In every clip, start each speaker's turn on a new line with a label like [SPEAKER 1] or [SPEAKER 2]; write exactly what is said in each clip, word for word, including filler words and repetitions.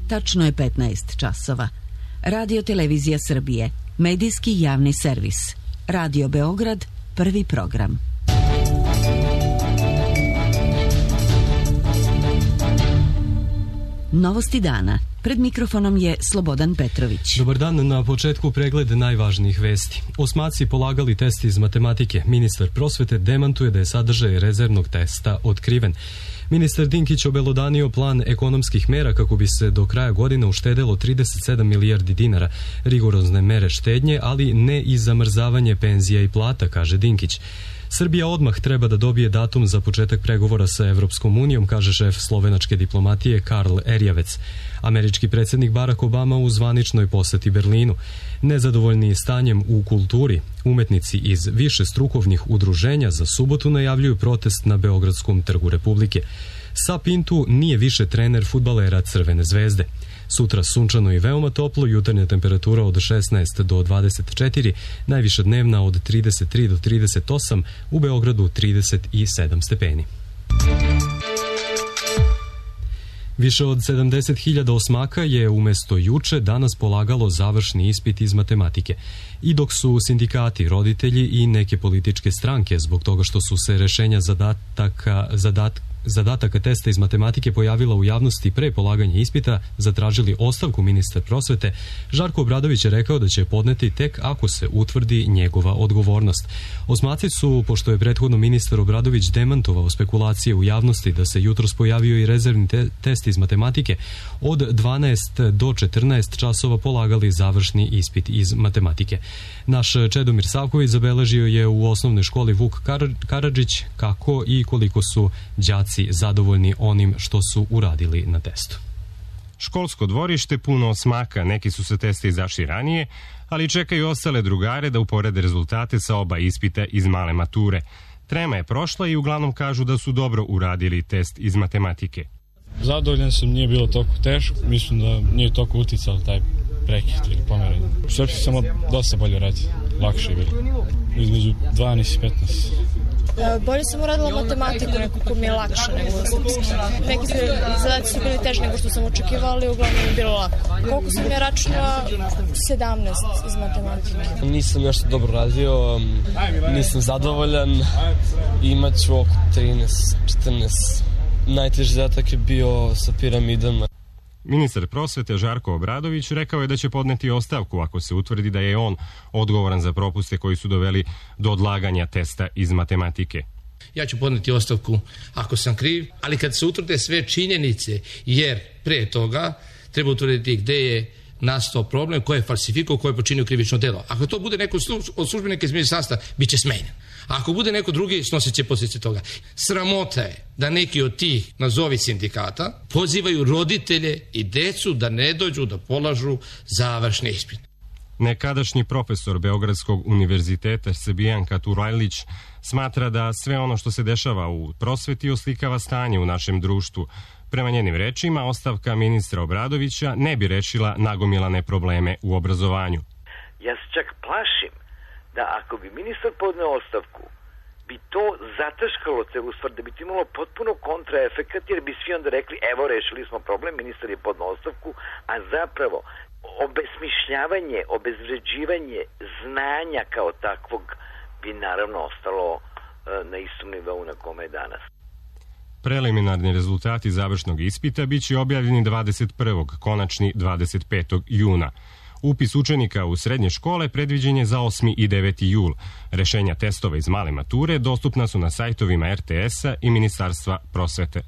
[SPEAKER 1] Tačno je petnaest časova. Radio Televizija Srbije, medijski javni servis. Radio Beograd, prvi program. Novosti dana. Pred mikrofonom je Slobodan Petrović.
[SPEAKER 2] Dobar dan, na početku pregled najvažnijih vesti. Osmaci polagali test iz matematike. Ministar prosvete demantuje da je sadržaj rezervnog testa otkriven. Ministar Dinkić obelodanio plan ekonomskih mera kako bi se do kraja godine uštedelo trideset sedam milijardi dinara. Rigorozne mere štednje, ali ne i zamrzavanje penzija i plata, kaže Dinkić. Srbija odmah treba da dobije datum za početak pregovora sa Evropskom unijom, kaže šef slovenačke diplomatije Karl Erjavec. Američki predsjednik Barack Obama u zvaničnoj poseti Berlinu. Nezadovoljni stanjem u kulturi, umetnici iz više strukovnih udruženja za subotu najavljuju protest na Beogradskom trgu Republike. Sa Pintu nije više trener fudbalera Crvene zvezde. Sutra sunčano i veoma toplo, jutarnja temperatura od šesnaest do dvadeset četiri, najviša dnevna od trideset tri do trideset osam, u Beogradu trideset sedam stepeni. Više od sedamdeset hiljada osmaka je umesto juče danas polagalo završni ispit iz matematike. I dok su sindikati, roditelji i neke političke stranke zbog toga što su se rešenja zadataka, zadat, zadataka testa iz matematike pojavila u javnosti pre polaganja ispita, zatražili ostavku ministra prosvete, Žarko Obradović je rekao da će podneti tek ako se utvrdi njegova odgovornost. Osmaci su, pošto je prethodno ministar Obradović demantovao spekulacije u javnosti da se jutros pojavio i rezervni te test iz matematike, od dvanaest do četrnaest časova polagali završni ispit iz matematike. Naš Čedomir Savković zabeležio je u osnovnoj školi Vuk Karadžić kako i koliko su đaci zadovoljni onim što su uradili na testu.
[SPEAKER 3] Školsko dvorište puno osmaka, neki su sa testa izašli ranije, ali čekaju ostale drugare da uporede rezultate sa oba ispita iz male mature. Trema je prošla i uglavnom kažu da su dobro uradili test iz matematike.
[SPEAKER 4] Zadovoljan sam, nije bilo toliko teško, mislim da nije toliko uticalo taj prekid ili pomeranje. Srpski samo dosta bolje radi, lakše je bilo, između dvanaest i petnaest.
[SPEAKER 5] Bolje sam uradila matematiku, nekako mi je lakše nego srpski. Neki zadaci su bili teži nego što sam očekivala, ali uglavnom je bilo lako. Koliko sam ja računala? sedamnaest iz matematike.
[SPEAKER 6] Nisam nešto dobro radio, nisam zadovoljan, imat ću oko trinaest četrnaest. Najteži zadatak je bio sa piramidama.
[SPEAKER 3] Ministar prosvete Žarko Obradović rekao je da će podneti ostavku ako se utvrdi da je on odgovoran za propuste koji su doveli do odlaganja testa iz matematike.
[SPEAKER 7] Ja ću podneti ostavku ako sam kriv, ali kad se utvrde sve činjenice, jer pre toga treba utvrditi gde je nastao problem, ko je falsifikao, ko je počinio krivično delo. Ako to bude neko od službenika iz ministarstva, bit će smenjen. A ako bude neko drugi, snosit će posljedice toga. Sramota je da neki od tih, nazovi sindikata, pozivaju roditelje i decu da ne dođu da polažu završni ispit.
[SPEAKER 3] Nekadašnji profesor Beogradskog univerziteta Srbijanka Turajlić smatra da sve ono što se dešava u prosveti oslikava stanje u našem društvu. Prema njenim rečima, ostavka ministra Obradovića ne bi rešila nagomilane probleme u obrazovanju.
[SPEAKER 8] Ja se čak plašim da ako bi ministar podneo ostavku, bi to zataškalo celu stvar, da bi to imalo potpuno kontraefekat, jer bi svi onda rekli, evo, rešili smo problem, ministar je podneo ostavku, a zapravo obesmišljavanje, obezvređivanje znanja kao takvog bi naravno ostalo na istom nivou na kome je danas.
[SPEAKER 3] Preliminarni rezultati završnog ispita biće objavljeni dvadeset prvog, konačni dvadeset petog juna. Upis učenika u srednje škole predviđen je za osmi i deveti jul. Rešenja testova iz male mature dostupna su na sajtovima er te esa i Ministarstva prosvete.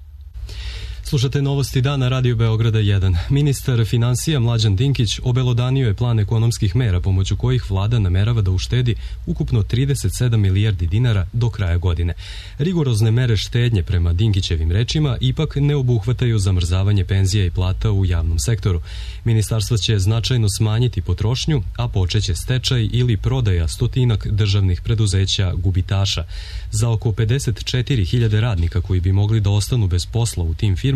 [SPEAKER 2] Slušate novosti dana Radio Beograda jedan. Ministar finansija Mlađan Dinkić obelodanio je plan ekonomskih mera pomoću kojih vlada namerava da uštedi ukupno trideset sedam milijardi dinara do kraja godine. Rigorozne mere štednje, prema Dinkićevim rečima, ipak ne obuhvataju zamrzavanje penzija i plata u javnom sektoru. Ministarstvo će značajno smanjiti potrošnju, a počeće stečaj ili prodaja stotinak državnih preduzeća gubitaša. Za oko pedeset četiri hiljade radnika koji bi mogli da ostanu bez posla u tim firmama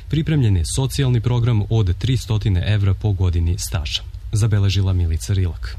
[SPEAKER 2] pripremljen je socijalni program od tristo evra po godini staža, zabeležila Milica Rilak.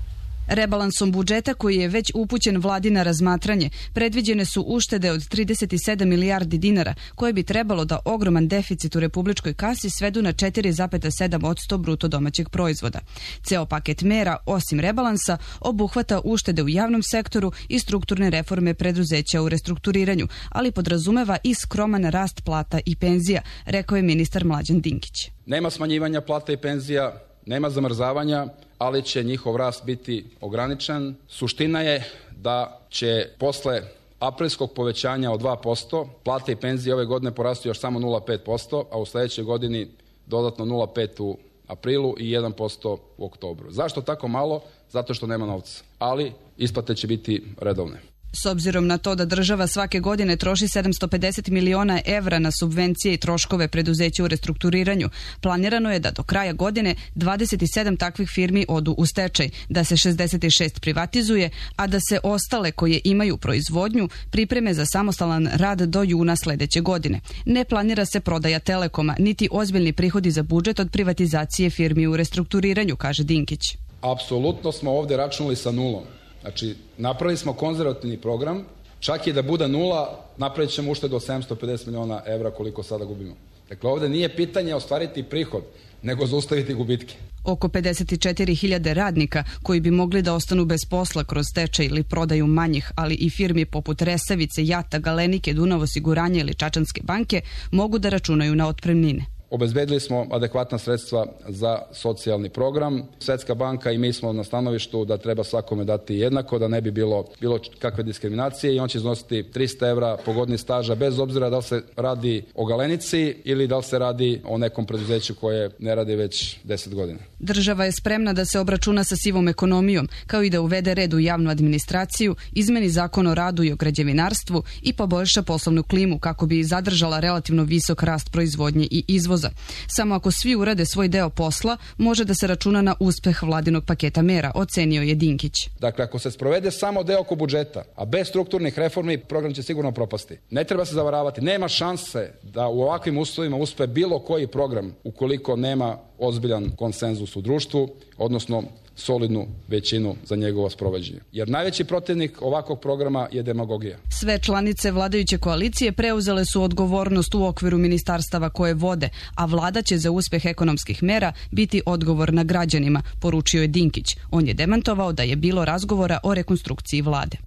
[SPEAKER 9] Rebalansom budžeta koji je već upućen vladi na razmatranje, predviđene su uštede od trideset sedam milijardi dinara, koje bi trebalo da ogroman deficit u republičkoj kasi svedu na četiri zarez sedam posto bruto domaćeg proizvoda. Ceo paket mera, osim rebalansa, obuhvata uštede u javnom sektoru i strukturne reforme preduzeća u restrukturiranju, ali podrazumeva i skroman rast plata i penzija, rekao je ministar Mlađan Dinkić.
[SPEAKER 10] Nema smanjivanja plata i penzija, nema zamrzavanja, ali će njihov rast biti ograničen. Suština je da će posle aprilskog povećanja od dva posto plate i penzije ove godine porasti još samo nula zarez pet posto, a u sledećoj godini dodatno nula zarez pet u aprilu i jedan posto u oktobru. Zašto tako malo? Zato što nema novca, ali isplate će biti redovne.
[SPEAKER 9] S obzirom na to da država svake godine troši sedamsto pedeset miliona evra na subvencije i troškove preduzeća u restrukturiranju, planirano je da do kraja godine dvadeset sedam takvih firmi odu u stečaj, da se šezdeset šest privatizuje, a da se ostale koje imaju proizvodnju pripreme za samostalan rad do juna sledeće godine. Ne planira se prodaja Telekoma, niti ozbiljni prihodi za budžet od privatizacije firmi u restrukturiranju, kaže Dinkić.
[SPEAKER 10] Apsolutno smo ovde računali sa nulom. Znači, napravili smo konzervativni program, čak i da bude nula, napravit ćemo uštedu od sedamsto pedeset miliona evra koliko sada gubimo. Dakle, ovde nije pitanje ostvariti prihod, nego zaustaviti gubitke.
[SPEAKER 9] Oko pedeset četiri hiljade radnika koji bi mogli da ostanu bez posla kroz stečaj ili prodaju manjih, ali i firmi poput Resavice, Jata, Galenike, Dunav osiguranja ili Čačanske banke mogu da računaju na otpremnine.
[SPEAKER 10] Obezbedili smo adekvatna sredstva za socijalni program. Svetska banka i mi smo na stanovištu da treba svakome dati jednako, da ne bi bilo bilo kakve diskriminacije i on će iznositi trista evra po godini staža bez obzira da li se radi o Galenici ili da li se radi o nekom preduzeću koje ne radi već deset godina.
[SPEAKER 9] Država je spremna da se obračuna sa sivom ekonomijom, kao i da uvede red u javnu administraciju, izmeni zakon o radu i o građevinarstvu i poboljša poslovnu klimu kako bi zadržala relativno visok rast proizvodnje i izvoza. Samo ako svi urade svoj deo posla, može da se računa na uspeh vladinog paketa mera, ocenio je Dinkić.
[SPEAKER 10] Dakle, ako se sprovede samo deo oko budžeta, a bez strukturnih reformi, program će sigurno propasti. Ne treba se zavaravati, nema šanse da u ovakvim uslovima uspe bilo koji program ukoliko nema ozbiljan konsenzus u društvu, odnosno solidnu većinu za njegovo sprovođenje. Jer najveći protivnik ovakvog programa je demagogija.
[SPEAKER 9] Sve članice vladajuće koalicije preuzele su odgovornost u okviru ministarstava koje vode, a vlada će za uspeh ekonomskih mera biti odgovorna građanima, poručio je Dinkić. On je demantovao da je bilo razgovora o rekonstrukciji vlade.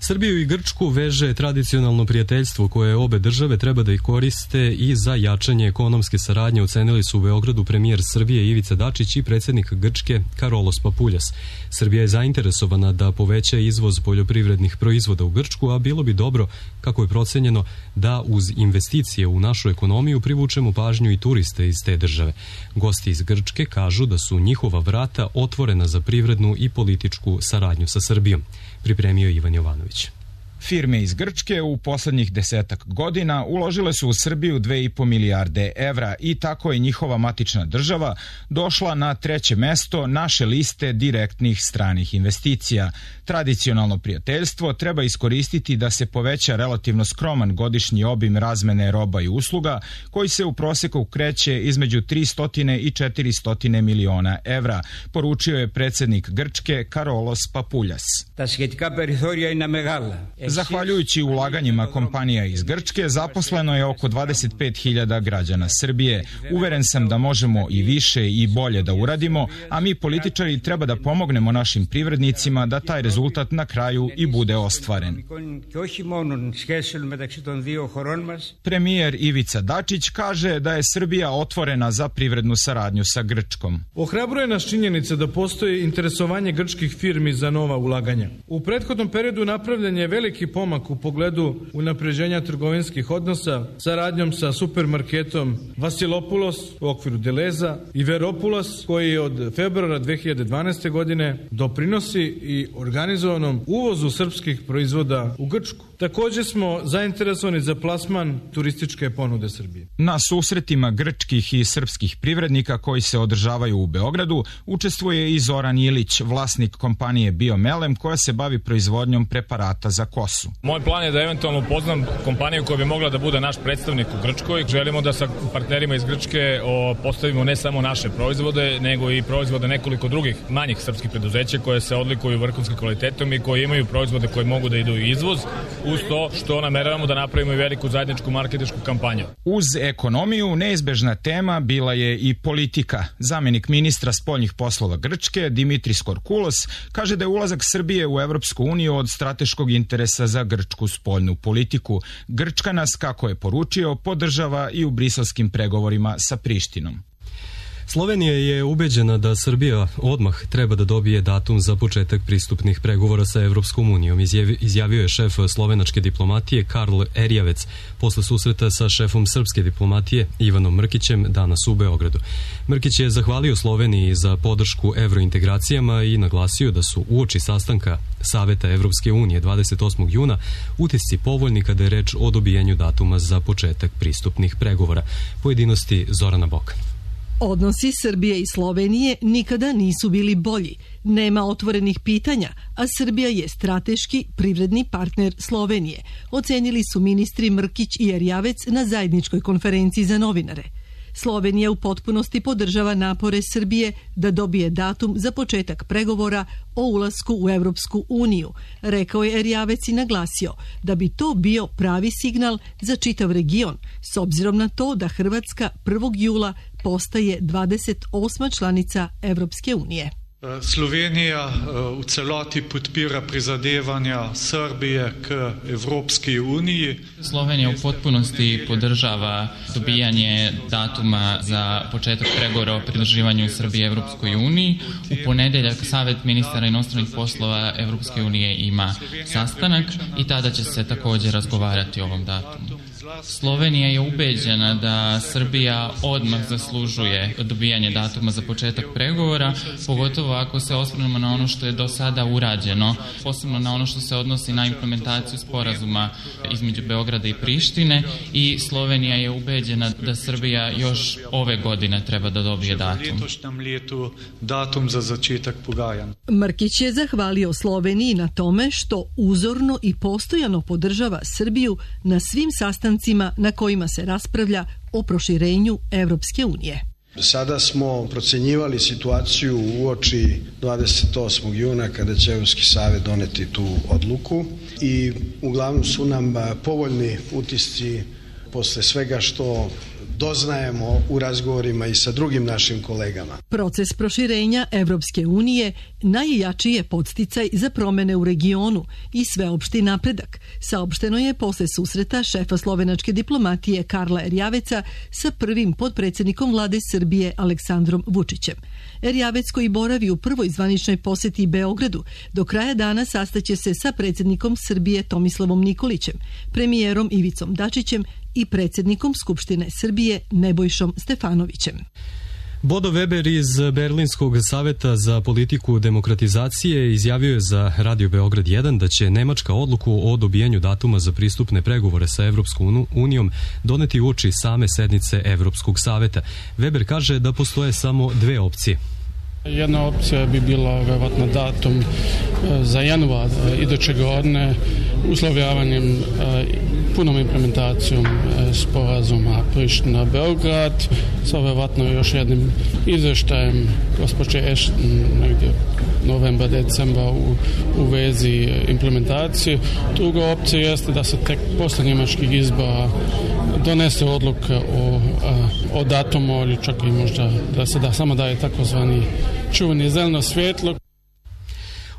[SPEAKER 2] Srbiju i Grčku veže tradicionalno prijateljstvo koje obe države treba da ih koriste i za jačanje ekonomske saradnje, ocenili su u Beogradu premijer Srbije Ivica Dačić i predsjednik Grčke Karolos Papuljas. Srbija je zainteresovana da poveća izvoz poljoprivrednih proizvoda u Grčku, a bilo bi dobro, kako je procenjeno, da uz investicije u našu ekonomiju privučemo pažnju i turiste iz te države. Gosti iz Grčke kažu da su njihova vrata otvorena za privrednu i političku saradnju sa Srbijom. Pripremio Ivan Jovanović.
[SPEAKER 11] Firme iz Grčke u poslednjih desetak godina uložile su u Srbiju dve i po milijarde evra i tako je njihova matična država došla na treće mesto naše liste direktnih stranih investicija. Tradicionalno prijateljstvo treba iskoristiti da se poveća relativno skroman godišnji obim razmene roba i usluga koji se u proseku kreće između tristo i četiristo miliona evra, poručio je predsjednik Grčke Karolos Papuljas. Zahvaljujući ulaganjima kompanija iz Grčke, zaposleno je oko dvadeset pet hiljada građana Srbije. Uveren sam da možemo i više i bolje da uradimo, a mi političari treba da pomognemo našim privrednicima da taj rezultat na kraju i bude ostvaren. Premijer Ivica Dačić kaže da je Srbija otvorena za privrednu saradnju sa Grčkom.
[SPEAKER 12] Ohrabruje nas činjenica da postoji interesovanje grčkih firmi za nova ulaganja. U prethodnom periodu napravljen je veliki pomak u pogledu unapređenja trgovinskih odnosa, saradnjom sa supermarketom Vasilopulos u okviru Deleza i Veropulos, koji od februara dve hiljade dvanaeste. godine doprinosi i organizovanom uvozu srpskih proizvoda u Grčku. Također smo zainteresovani za plasman turističke ponude Srbije.
[SPEAKER 11] Na susretima grčkih i srpskih privrednika koji se održavaju u Beogradu učestvuje i Zoran Ilić, vlasnik kompanije Biomelem koja se bavi proizvodnjom preparata za kosu.
[SPEAKER 13] Moj plan je da eventualno upoznam kompaniju koja bi mogla da bude naš predstavnik u Grčkoj. Želimo da sa partnerima iz Grčke postavimo ne samo naše proizvode, nego i proizvode nekoliko drugih manjih srpskih preduzeća koje se odlikuju vrhunskim kvalitetom i koji imaju proizvode koji mogu da idu u izvoz, uz to što nameravamo da napravimo i veliku zajedničku marketinšku kampanju.
[SPEAKER 11] Uz ekonomiju neizbežna tema bila je i politika. Zamenik ministra spoljnih poslova Grčke Dimitris Korkulos kaže da je ulazak Srbije u Evropsku uniju od strateškog interesa za grčku spoljnu politiku. Grčka nas, kako je poručio, podržava i u briselskim pregovorima sa Prištinom.
[SPEAKER 2] Slovenija je ubeđena da Srbija odmah treba da dobije datum za početak pristupnih pregovora sa Evropskom unijom, izjavio je šef slovenačke diplomatije Karl Erjavec posle susreta sa šefom srpske diplomatije Ivanom Mrkićem danas u Beogradu. Mrkić je zahvalio Sloveniji za podršku evrointegracijama i naglasio da su uoči sastanka Saveta Evropske unije dvadeset osmog juna utisci povoljni kada je reč o dobijanju datuma za početak pristupnih pregovora. Pojedinosti Zorana Bokan.
[SPEAKER 14] Odnosi Srbije i Slovenije nikada nisu bili bolji. Nema otvorenih pitanja, a Srbija je strateški privredni partner Slovenije, ocenili su ministri Mrkić i Erjavec na zajedničkoj konferenciji za novinare. Slovenija u potpunosti podržava napore Srbije da dobije datum za početak pregovora o ulasku u Evropsku uniju, rekao je Erjavec i naglasio da bi to bio pravi signal za čitav region, s obzirom na to da Hrvatska prvog jula postaje dvadeset osma članica Evropske unije.
[SPEAKER 15] Slovenija v celoti podpira prizadevanja Srbije k Evropski uniji.
[SPEAKER 16] Slovenija u potpunosti podržava dobijanje datuma za početak pregovora o pridruživanju Srbije Evropskoj uniji. U ponedeljak Savet ministara inostranih poslova Evropske unije ima sastanak i tada će se također razgovarati o ovom datumu. Slovenija je ubeđena da Srbija odmah zaslužuje dobijanje datuma za početak pregovora, pogotovo ako se osvrnemo na ono što je do sada urađeno, posebno na ono što se odnosi na implementaciju sporazuma između Beograda i Prištine, i Slovenija je ubeđena da Srbija još ove godine treba da dobije datum.
[SPEAKER 15] datum za začetak pogajanja.
[SPEAKER 14] Mrkić je zahvalio Sloveniji na tome što uzorno i postojano podržava Srbiju na svim sastancima na kojima se raspravlja o proširenju Evropske unije.
[SPEAKER 17] Sada smo procenjivali situaciju uoči dvadeset osmog juna kada će Evropski savet doneti tu odluku i uglavnom su nam povoljni utisci posle svega što doznajemo u razgovorima i sa drugim našim kolegama.
[SPEAKER 14] Proces proširenja Evropske unije najjači je podsticaj za promene u regionu i sveopšti napredak, saopšteno je posle susreta šefa slovenačke diplomatije Karla Erjaveca sa prvim potpredsjednikom vlade Srbije Aleksandrom Vučićem. Erjavec, koji boravi u prvoj zvaničnoj poseti Beogradu, do kraja dana sastaće se sa predsjednikom Srbije Tomislavom Nikolićem, premijerom Ivicom Dačićem i predsjednikom Skupštine Srbije Nebojšom Stefanovićem.
[SPEAKER 2] Bodo Weber iz Berlinskog saveta za politiku demokratizacije izjavio je za Radio Beograd jedan da će Nemačka odluku o dobijanju datuma za pristupne pregovore sa Evropskom unijom doneti uoči same sednice Evropskog saveta. Weber kaže da postoje samo dve opcije.
[SPEAKER 4] Jedna opcija bi bila verovatno datum za januar iduće godine uslovljavanjem punom implementacijom sporazuma Priština-Beograd sa verovatno još jednim izveštajem gospođe Ashton negdje novembra, decembra u, u vezi implementacije. Druga opcija jeste da se tek posle njemačkih izbora donese odluka o, o datumu ili čak i možda da se da samo daje takozvani čuveni zeleno svjetlo.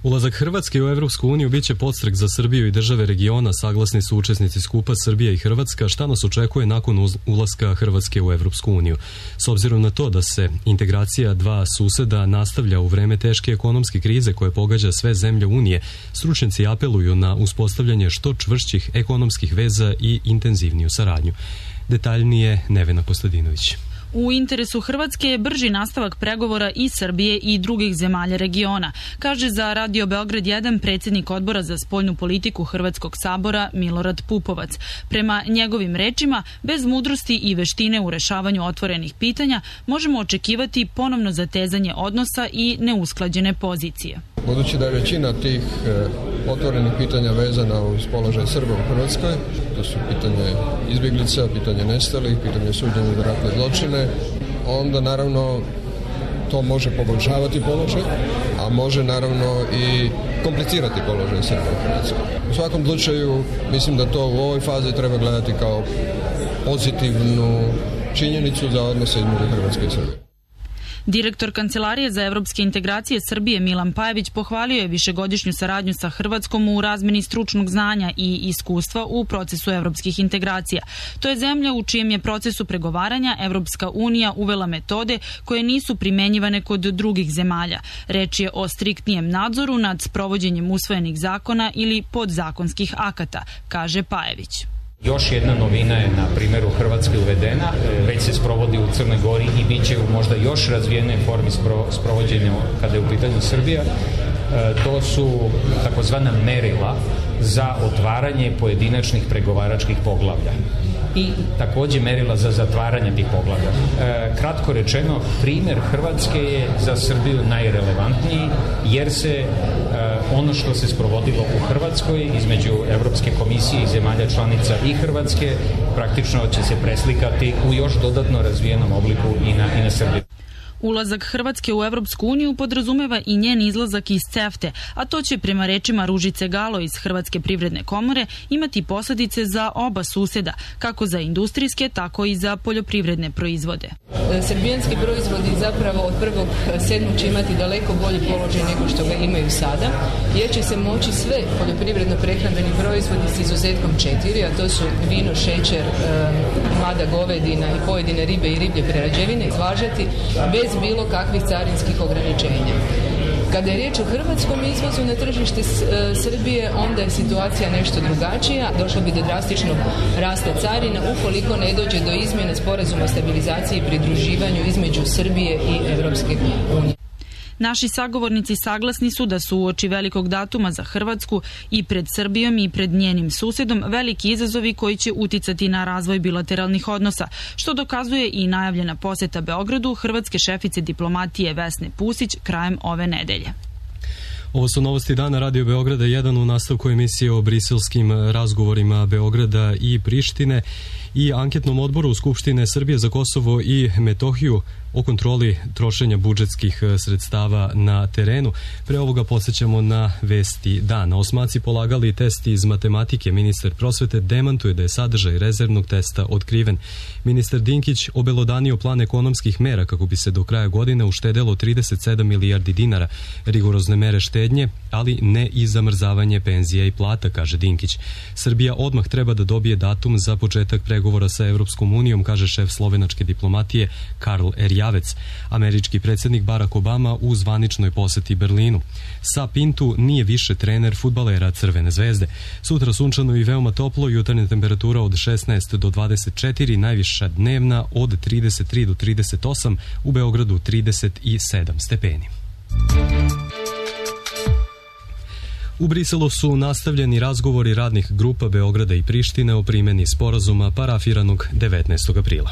[SPEAKER 2] Ulazak Hrvatske u Evropsku uniju biće podstrek za Srbiju i države regiona, saglasni su učesnici skupa Srbija i Hrvatska, šta nas očekuje nakon ulaska Hrvatske u Evropsku uniju. S obzirom na to da se integracija dva suseda nastavlja u vreme teške ekonomske krize koje pogađa sve zemlje Unije, stručnjaci apeluju na uspostavljanje što čvršćih ekonomskih veza i intenzivniju saradnju. Detaljnije Nevena Kostadinović.
[SPEAKER 18] U interesu Hrvatske je brži nastavak pregovora i Srbije i drugih zemalja regiona, kaže za Radio Beograd jedan predsjednik odbora za spoljnu politiku Hrvatskog sabora Milorad Pupovac. Prema njegovim rečima, bez mudrosti i veštine u rešavanju otvorenih pitanja možemo očekivati ponovno zatezanje odnosa i neusklađene pozicije.
[SPEAKER 19] Budući da je većina tih e, otvorenih pitanja vezana uz položaj Srba u Hrvatskoj, to su pitanje izbjeglica, pitanje nestalih, pitanje suđenja za ratne zločine, onda naravno to može poboljšavati položaj, a može naravno i komplicirati položaj Srba u Hrvatskoj. U svakom slučaju mislim da to u ovoj fazi treba gledati kao pozitivnu činjenicu za odnose između Hrvatske i Srbije.
[SPEAKER 18] Direktor Kancelarije za evropske integracije Srbije Milan Pajević pohvalio je višegodišnju saradnju sa Hrvatskom u razmeni stručnog znanja i iskustva u procesu evropskih integracija. To je zemlja u čijem je procesu pregovaranja Evropska unija uvela metode koje nisu primenjivane kod drugih zemalja. Reč je o striktnijem nadzoru nad sprovođenjem usvojenih zakona ili podzakonskih akata, kaže Pajević.
[SPEAKER 20] Još jedna novina je na primjeru Hrvatske uvedena, već se sprovodi u Crnoj Gori i bit će u možda još razvijenoj formi sprovođenja kada je u pitanju Srbija. To su takozvana merila za otvaranje pojedinačnih pregovaračkih poglavlja i također merila za zatvaranje tih poglavlja. Kratko rečeno, primjer Hrvatske je za Srbiju najrelevantniji jer se ono što se sprovodilo u Hrvatskoj između Evropske komisije i zemalja članica i Hrvatske praktično će se preslikati u još dodatno razvijenom obliku i na, i na Srbiju.
[SPEAKER 18] Ulazak Hrvatske u Evropsku uniju podrazumeva i njen izlazak iz CEFTA, a to će prema rečima Ružice Galo iz Hrvatske privredne komore imati posljedice za oba susjeda, kako za industrijske, tako i za poljoprivredne proizvode.
[SPEAKER 21] Srbijanski proizvodi zapravo od prvog sedmog će imati daleko bolji položaj nego što ga imaju sada, jer će se moći sve poljoprivredno-prehrambeni proizvodi s izuzetkom četiri, a to su vino, šećer, mlada govedina i pojedine ribe i riblje prerađevine, izvažati bez bilo kakvih carinskih ograničenja. Kada je riječ o hrvatskom izvozu na tržište Srbije, onda je situacija nešto drugačija. Došlo bi do drastičnog rasta carina ukoliko ne dođe do izmjene sporazuma o stabilizaciji i pridruživanju između Srbije i Evropske unije.
[SPEAKER 18] Naši sagovornici saglasni su da su uoči velikog datuma za Hrvatsku i pred Srbijom i pred njenim susjedom veliki izazovi koji će uticati na razvoj bilateralnih odnosa, što dokazuje i najavljena posjeta Beogradu hrvatske šefice diplomatije Vesne Pusić krajem ove nedelje.
[SPEAKER 2] Ovo su novosti dana Radio Beograda jedan u nastavku emisije o briselskim razgovorima Beograda i Prištine i anketnom odboru Skupštine Srbije za Kosovo i Metohiju o kontroli trošenja budžetskih sredstava na terenu. Pre ovoga podsjećamo na vesti dana. Osmaci polagali test iz matematike. Ministar prosvete demantuje da je sadržaj rezervnog testa otkriven. Ministar Dinkić obelodanio plan ekonomskih mera kako bi se do kraja godine uštedelo trideset sedam milijardi dinara. Rigorozne mere štednje, ali ne i zamrzavanje penzija i plata, kaže Dinkić. Srbija odmah treba da dobije datum za početak pregovora sa Evropskom unijom, kaže šef slovenačke diplomatije Karl Erjavec. Američki predsjednik Barack Obama u zvaničnoj poseti Berlinu. Sa Pintu nije više trener fudbalera Crvene zvezde. Sutra sunčano i veoma toplo, jutarnja temperatura od šesnaest do dvadeset četiri, najviša dnevna od trideset tri do trideset osam, u Beogradu trideset sedam stepeni. U Briselu su nastavljeni razgovori radnih grupa Beograda i Prištine o primjeni sporazuma parafiranog devetnaestog aprila.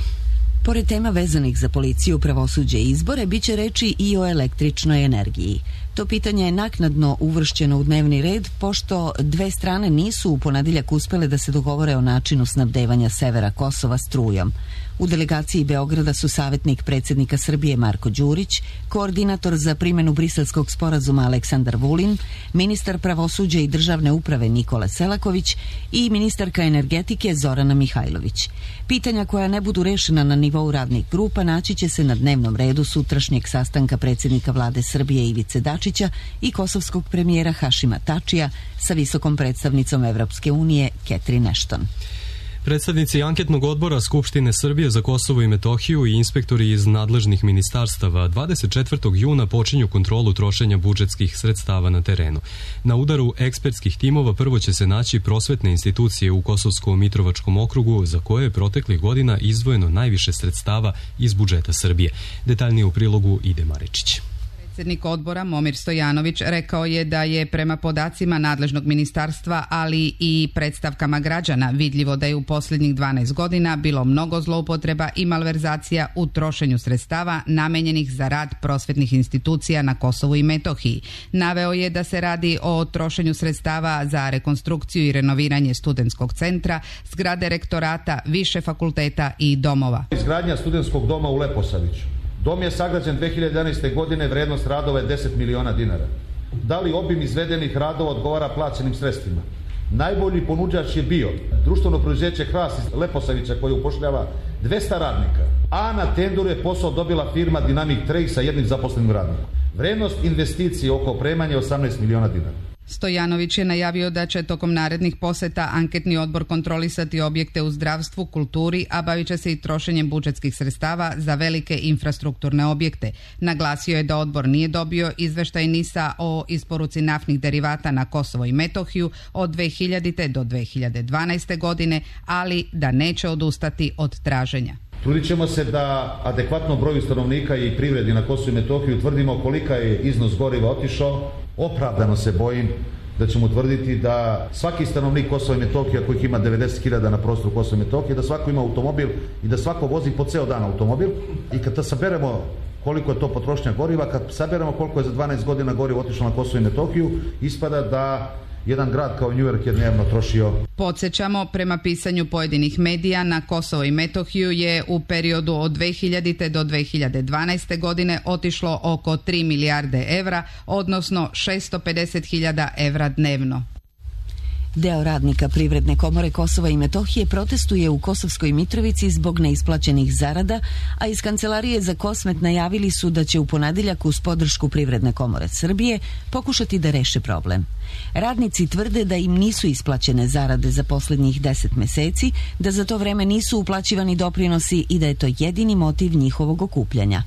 [SPEAKER 1] Pored tema vezanih za policiju, pravosuđe i izbore, bit će reči i o električnoj energiji. To pitanje je naknadno uvršćeno u dnevni red, pošto dve strane nisu u ponedjeljak uspele da se dogovore o načinu snabdevanja severa Kosova strujom. U delegaciji Beograda su savjetnik predsjednika Srbije Marko Đurić, koordinator za primjenu briselskog sporazuma Aleksandar Vulin, ministar pravosuđa i državne uprave Nikola Selaković i ministarka energetike Zorana Mihajlović. Pitanja koja ne budu rešena na nivou radnih grupa naći će se na dnevnom redu sutrašnjeg sastanka predsjednika vlade Srbije Ivice Dačića i kosovskog premijera Hašima Tačija sa visokom predstavnicom Evropske unije Catherine Ashton.
[SPEAKER 2] Predstavnici anketnog odbora Skupštine Srbije za Kosovo i Metohiju i inspektori iz nadležnih ministarstava dvadeset četvrtog juna počinju kontrolu trošenja budžetskih sredstava na terenu. Na udaru ekspertskih timova prvo će se naći prosvetne institucije u Kosovsko-Mitrovačkom okrugu za koje je proteklih godina izdvojeno najviše sredstava iz budžeta Srbije. Detaljnije u prilogu Ide Maričić.
[SPEAKER 5] Predsjednik odbora Momir Stojanović rekao je da je prema podacima nadležnog ministarstva, ali i predstavkama građana, vidljivo da je u posljednjih dvanaest godina bilo mnogo zloupotreba i malverzacija u trošenju sredstava namenjenih za rad prosvetnih institucija na Kosovu i Metohiji. Naveo je da se radi o trošenju sredstava za rekonstrukciju i renoviranje studentskog centra, zgrade rektorata, više fakulteta i domova.
[SPEAKER 22] Izgradnja studentskog doma u Leposaviću. Dom je sagrađen dve hiljade jedanaeste. godine, vrednost radova je deset miliona dinara. Da li obim izvedenih radova odgovara plaćenim sredstvima? Najbolji ponuđač je bio društveno preduzeće Hras iz Leposavića koje upošljava dvesta radnika, a na tenderu je posao dobila firma Dynamic Trade sa jednim zaposlenim radnikom. Vrednost investicije oko opremanja je osamnaest miliona dinara.
[SPEAKER 5] Stojanović je najavio da će tokom narednih poseta anketni odbor kontrolisati objekte u zdravstvu, kulturi, a bavit će se i trošenjem budžetskih sredstava za velike infrastrukturne objekte. Naglasio je da odbor nije dobio izveštaj NIS-a o isporuci naftnih derivata na Kosovo i Metohiju od dve hiljadite. do dve hiljade dvanaeste. godine, ali da neće odustati od traženja.
[SPEAKER 22] Trudit ćemo se da adekvatno broju stanovnika i privredi na Kosovu i Metohiji utvrdimo kolika je iznos goriva otišao. Opravdano se bojim da ćemo utvrditi da svaki stanovnik Kosova i Metohije, kojih ima devedeset hiljada na prostoru Kosova i Metohije, da svako ima automobil i da svako vozi po ceo dan automobil. I kad saberemo koliko je to potrošnja goriva, kad saberemo koliko je za dvanaest godina goriva otišlo na Kosovo i Metohiju, ispada da jedan grad kao New York je dnevno trošio.
[SPEAKER 5] Podsjećamo, prema pisanju pojedinih medija, na Kosovo i Metohiju je u periodu od dve hiljadite. do dve hiljade dvanaeste. godine otišlo oko tri milijarde evra, odnosno šesto pedeset hiljada evra dnevno.
[SPEAKER 1] Deo radnika Privredne komore Kosova i Metohije protestuje u Kosovskoj Mitrovici zbog neisplaćenih zarada, a iz Kancelarije za Kosmet najavili su da će u ponedeljak uz podršku Privredne komore Srbije pokušati da reše problem. Radnici tvrde da im nisu isplaćene zarade za posljednjih deset meseci, da za to vreme nisu uplaćivani doprinosi i da je to jedini motiv njihovog okupljanja.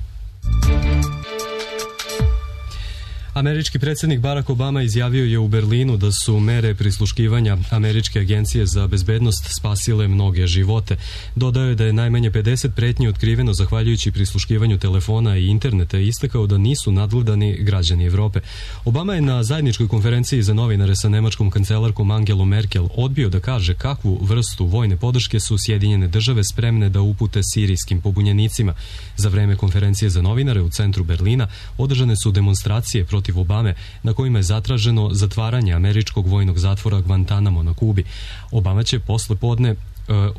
[SPEAKER 2] Američki predsjednik Barack Obama izjavio je u Berlinu da su mere prisluškivanja Američke agencije za bezbednost spasile mnoge živote. Dodao je da je najmanje pedeset pretnji otkriveno zahvaljujući prisluškivanju telefona i interneta i istakao da nisu nadgledani građani Evrope. Obama je na zajedničkoj konferenciji za novinare sa nemačkom kancelarkom Angelom Merkel odbio da kaže kakvu vrstu vojne podrške su Sjedinjene države spremne da upute sirijskim pobunjenicima. Za vreme konferencije za novinare u centru Berlina održane su demonstracije protiv protiv Obame, na kojima je zatraženo zatvaranje američkog vojnog zatvora Guantanamo na Kubi. Obama će posle podne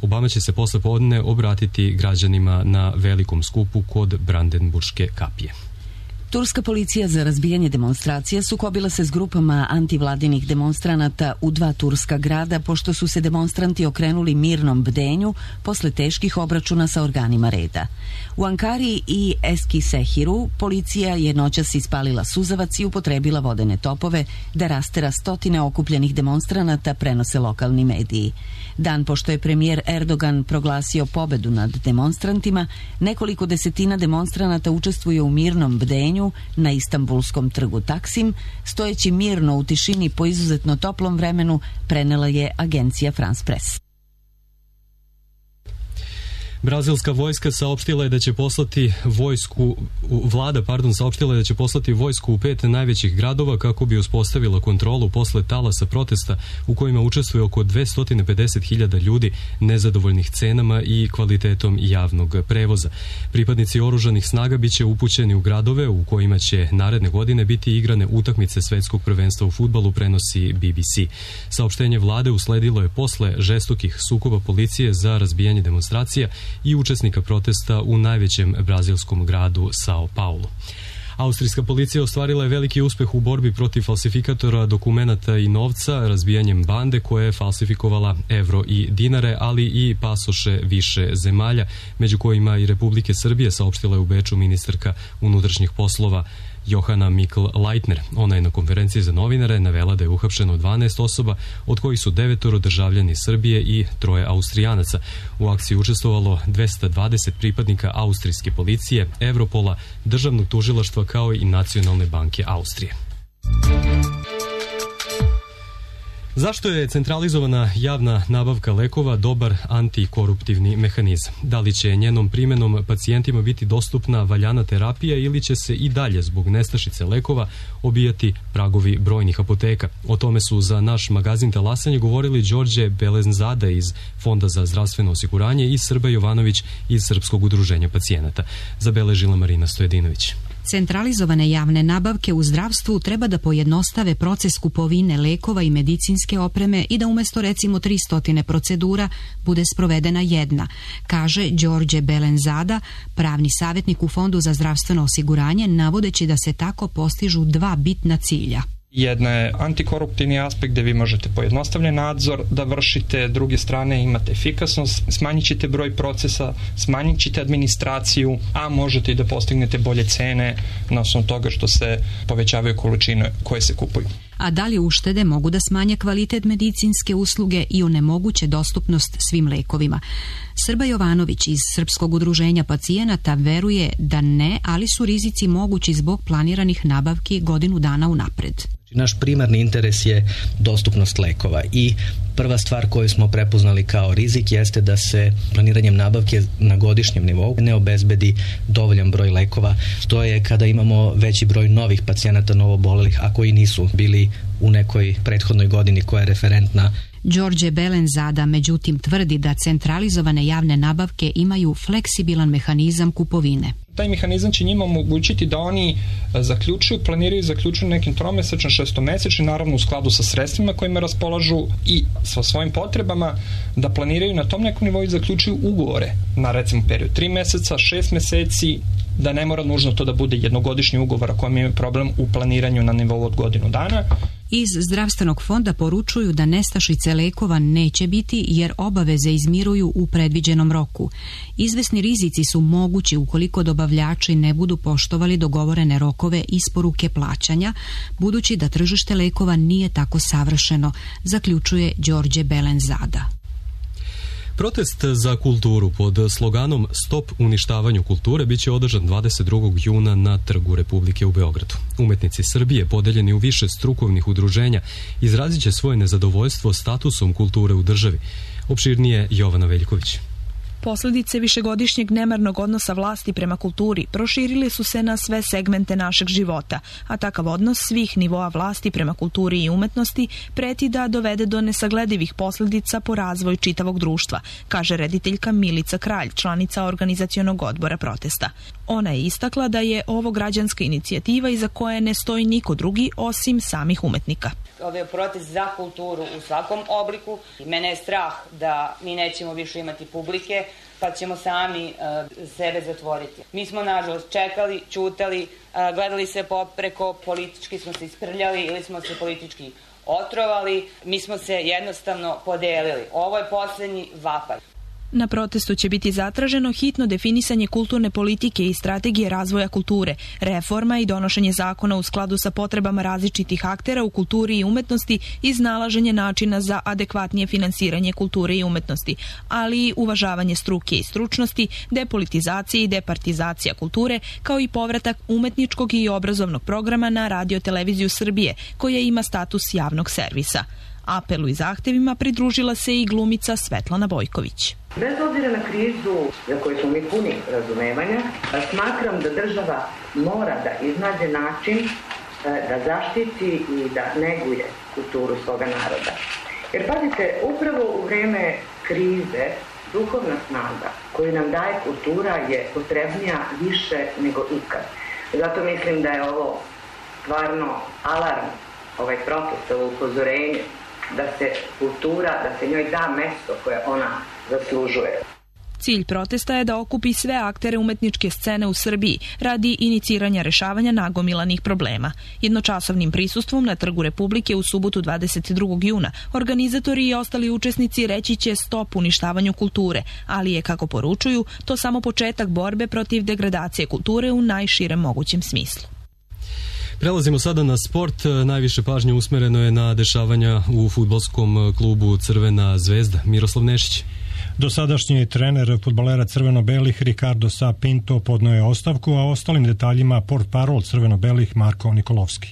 [SPEAKER 2] Obama će se posle podne obratiti građanima na velikom skupu kod Brandenburške kapije.
[SPEAKER 1] Turska policija za razbijanje demonstracija sukobila se s grupama antivladinih demonstranata u dva turska grada pošto su se demonstranti okrenuli mirnom bdenju posle teških obračuna sa organima reda. U Ankari i Eskisehiru policija je noćas ispalila suzavac i upotrebila vodene topove da rastera stotine okupljenih demonstranata, prenose lokalni mediji. Dan pošto je premijer Erdogan proglasio pobedu nad demonstrantima, nekoliko desetina demonstranata učestvuje u mirnom bdenju na Istanbulskom trgu Taksim, stojeći mirno u tišini po izuzetno toplom vremenu, prenela je agencija France Press.
[SPEAKER 2] Brazilska vojska saopštila je da će poslati vojsku, vlada, pardon, saopštila je da će poslati vojsku u pet najvećih gradova kako bi uspostavila kontrolu posle talasa protesta u kojima učestvuje oko dvesta pedeset hiljada ljudi nezadovoljnih cenama i kvalitetom javnog prevoza. Pripadnici oružanih snaga biće upućeni u gradove u kojima će naredne godine biti igrane utakmice svetskog prvenstva u fudbalu, prenosi B B C. Saopštenje vlade usledilo je posle žestokih sukoba policije za razbijanje demonstracija i učesnika protesta u najvećem brazilskom gradu Sao Paulo. Austrijska policija ostvarila je veliki uspeh u borbi protiv falsifikatora dokumenata i novca razbijanjem bande koja je falsifikovala evro i dinare, ali i pasoše više zemalja, među kojima i Republike Srbije, saopštila je u Beču ministarka unutrašnjih poslova Johana Mikl-Leitner. Ona je na konferenciji za novinare navela da je uhapšeno dvanaest osoba, od kojih su devetoro državljani Srbije i troje Austrijanaca. U akciji učestvovalo dvesta dvadeset pripadnika austrijske policije, Evropola, državnog tužilaštva kao i Nacionalne banke Austrije. Zašto je centralizovana javna nabavka lekova dobar antikoruptivni mehanizam? Da li će njenom primjenom pacijentima biti dostupna valjana terapija ili će se i dalje zbog nestašice lekova obijati pragovi brojnih apoteka? O tome su za naš magazin Talasanje govorili Đorđe Belenzada iz Fonda za zdravstveno osiguranje i Srba Jovanović iz Srpskog udruženja pacijenata. Zabeležila Marina Stojedinović.
[SPEAKER 6] Centralizovane javne nabavke u zdravstvu treba da pojednostave proces kupovine lekova i medicinske opreme i da umjesto recimo tristo procedura bude sprovedena jedna, kaže Đorđe Belenzada, pravni savjetnik u Fondu za zdravstveno osiguranje, navodeći da se tako postižu dva bitna cilja.
[SPEAKER 7] Jedna je antikoruptivni aspekt gdje vi možete pojednostavljen nadzor da vršite, s druge strane imate efikasnost, smanjit ćete broj procesa, smanjit ćete administraciju, a možete i da postignete bolje cene na osnovu toga što se povećavaju količine koje se kupuju.
[SPEAKER 6] A da li uštede mogu da smanje kvalitet medicinske usluge i onemoguće dostupnost svim lekovima? Srba Jovanović iz Srpskog udruženja pacijenata veruje da ne, ali su rizici mogući zbog planiranih nabavki godinu dana unapred.
[SPEAKER 23] Naš primarni interes je dostupnost lekova i prva stvar koju smo prepoznali kao rizik jeste da se planiranjem nabavke na godišnjem nivou ne obezbedi dovoljan broj lekova. To je kada imamo veći broj novih pacijenata novobolelih, a koji nisu bili u nekoj prethodnoj godini koja je referentna.
[SPEAKER 6] Đorđe Belenzada međutim tvrdi da centralizovane javne nabavke imaju fleksibilan mehanizam kupovine.
[SPEAKER 7] Taj mehanizam će njima omogućiti da oni zaključuju, planiraju i zaključuju nekim tromesečnim, šestomesečnim, naravno u skladu sa sredstvima kojima raspolažu i sa svojim potrebama, da planiraju na tom nekom nivou i zaključuju ugovore na recimo period tri meseca, šest meseci, da ne mora nužno to da bude jednogodišnji ugovor ako imaju problem u planiranju na nivou od godinu dana.
[SPEAKER 6] Iz zdravstvenog fonda poručuju da nestašice lekova neće biti jer obaveze izmiruju u predviđenom roku. Izvesni rizici su mogući ukoliko dobavljači ne budu poštovali dogovorene rokove isporuke plaćanja, budući da tržište lekova nije tako savršeno, zaključuje Đorđe Belenzada.
[SPEAKER 2] Protest za kulturu pod sloganom Stop uništavanju kulture biće održan dvadeset drugog juna na Trgu Republike u Beogradu. Umetnici Srbije, podeljeni u više strukovnih udruženja, izrazit će svoje nezadovoljstvo statusom kulture u državi. Opširnije Jovana Veljković.
[SPEAKER 24] Posledice višegodišnjeg nemarnog odnosa vlasti prema kulturi proširili su se na sve segmente našeg života, a takav odnos svih nivoa vlasti prema kulturi i umetnosti preti da dovede do nesagledivih posledica po razvoj čitavog društva, kaže rediteljka Milica Kralj, članica organizacionog odbora protesta. Ona je istakla da je ovo građanska inicijativa iza koje ne stoji niko drugi osim samih umetnika.
[SPEAKER 25] Ovo je protest za kulturu u svakom obliku i mene je strah da mi nećemo više imati publike, pa ćemo sami uh, sebe zatvoriti. Mi smo nažalost čekali, ćutali, uh, gledali se popreko, politički smo se isprljali ili smo se politički otrovali, mi smo se jednostavno podelili. Ovo je posljednji vapaj.
[SPEAKER 24] Na protestu će biti zatraženo hitno definisanje kulturne politike i strategije razvoja kulture, reforma i donošenje zakona u skladu sa potrebama različitih aktera u kulturi i umetnosti i iznalaženje načina za adekvatnije finansiranje kulture i umetnosti, ali i uvažavanje struke i stručnosti, depolitizacije i departizacija kulture, kao i povratak umetničkog i obrazovnog programa na Radio-televiziju Srbije, koja ima status javnog servisa. Apelu i zahtevima pridružila se i glumica Svetlana Bojković.
[SPEAKER 26] Bez obzira na krizu za koju smo mi puni razumevanja, smatram da država mora da iznađe način da zaštiti i da neguje kulturu svoga naroda. Jer pazite, upravo u vreme krize duhovna snaga koju nam daje kultura je potrebnija više nego ikad. Zato mislim da je ovo stvarno alarm, ovaj protest, ovo upozorenje da se kultura, da se njoj da mesto koje ona zaslužuje.
[SPEAKER 24] Cilj protesta je da okupi sve aktere umetničke scene u Srbiji radi iniciranja rešavanja nagomilanih problema. Jednočasovnim prisustvom na Trgu Republike u subotu dvadeset drugog juna organizatori i ostali učesnici reći će stop uništavanju kulture, ali je, kako poručuju, to samo početak borbe protiv degradacije kulture u najširem mogućem smislu.
[SPEAKER 2] Prelazimo sada na sport. Najviše pažnje usmereno je na dešavanja u fudbalskom klubu Crvena zvezda. Miroslav Nešić.
[SPEAKER 3] Dosadašnji trener fudbalera crveno-belih Ricardo Sa Pinto podneo je ostavku, a ostalim detaljima portparol crveno-belih Marko Nikolovski.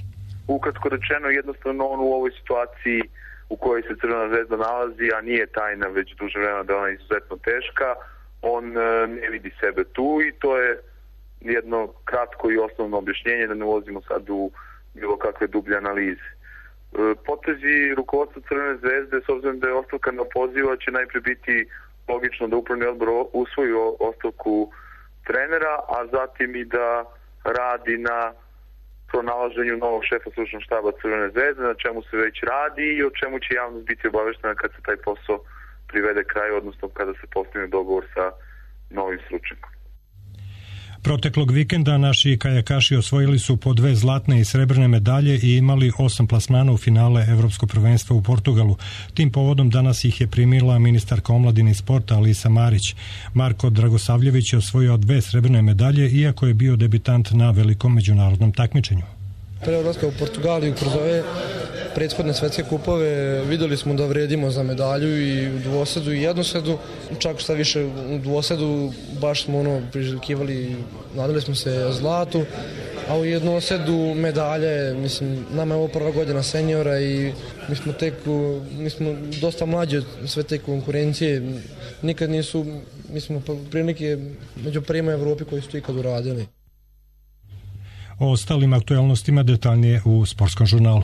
[SPEAKER 8] Ukratko rečeno, jednostavno on u ovoj situaciji u kojoj se Crvena zvezda nalazi, a nije tajna već duže vremena da ona je izuzetno teška, on ne vidi sebe tu i to je jedno kratko i osnovno objašnjenje, da ne ulazimo sad u bilo kakve dublje analize. Potezi rukovodstva Crvene zvezde, s obzirom da je ostavka na poziva, će najprije biti logično da upravni odbor usvoji ostavku trenera, a zatim i da radi na pronalaženju novog šefa stručnog štaba Crvene zvezde, na čemu se već radi i o čemu će javnost biti obaveštena kad se taj posao privede kraju, odnosno kada se postigne dogovor sa novim stručnjakom.
[SPEAKER 3] Proteklog vikenda naši kajakaši osvojili su po dve zlatne i srebrne medalje i imali osam plasmana u finale Evropskog prvenstva u Portugalu. Tim povodom danas ih je primila ministarka omladine i sporta Alisa Marić. Marko Dragosavljević je osvojio dve srebrne medalje, iako je bio debitant na velikom međunarodnom takmičenju.
[SPEAKER 9] Pre odlaska u Portugaliju kroz ove prethodne svetske kupove videli smo da vredimo za medalju i u dvosedu i jednosedu, čak šta više u dvosedu baš smo ono priželjkivali, nadali smo se zlatu, a u jednosedu medalje, mislim, nama je ovo prva godina seniora i mi smo tek, mi smo dosta mlađi od sve te konkurencije, nikad nisu, mi smo prilike među prvima u Evropi koji su to ikad uradili.
[SPEAKER 3] O ostalim aktualnostima detaljnije u Sportskom žurnalu.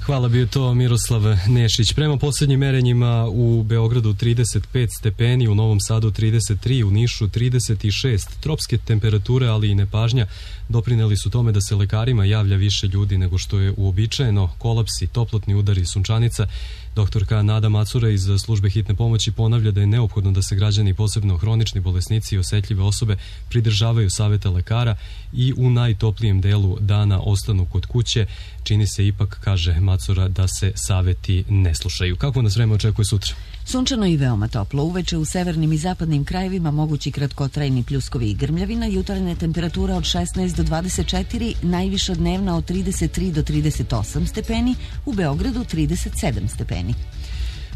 [SPEAKER 2] Hvala, bio to Miroslav Nešić. Prema posljednjim merenjima u Beogradu trideset pet stepeni, u Novom Sadu trideset tri, u Nišu trideset šest. Tropske temperature, ali i nepažnja doprineli su tome da se lekarima javlja više ljudi nego što je uobičajeno. Kolapsi, toplotni udari, sunčanica. Doktorka Nada Macura iz službe hitne pomoći ponavlja da je neophodno da se građani, posebno hronični bolesnici i osetljive osobe, pridržavaju savjeta lekara i u najtoplijem delu dana ostanu kod kuće. Čini se ipak, kaže Macura, da se savjeti ne slušaju. Kako nas vreme očekuje sutra?
[SPEAKER 1] Sunčano i veoma toplo. Uveče u severnim i zapadnim krajevima mogući kratkotrajni pljuskovi i grmljavina, jutarnje temperatura od šesnaest do dvadeset četiri, najviša dnevna od trideset tri do trideset osam stepeni, u Beogradu trideset sedam stepeni.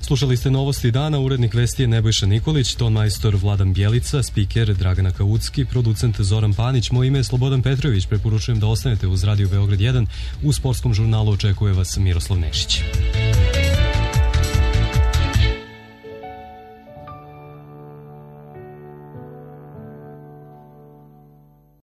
[SPEAKER 2] Slušali ste novosti dana, urednik vesti je Nebojša Nikolić, ton majstor Vladan Bjelica, spiker Dragana Kaucki, producent Zoran Panić, moje ime je Slobodan Petrović, preporučujem da ostanete uz Radio Beograd jedan, u Sportskom žurnalu očekuje vas Miroslav Nešić.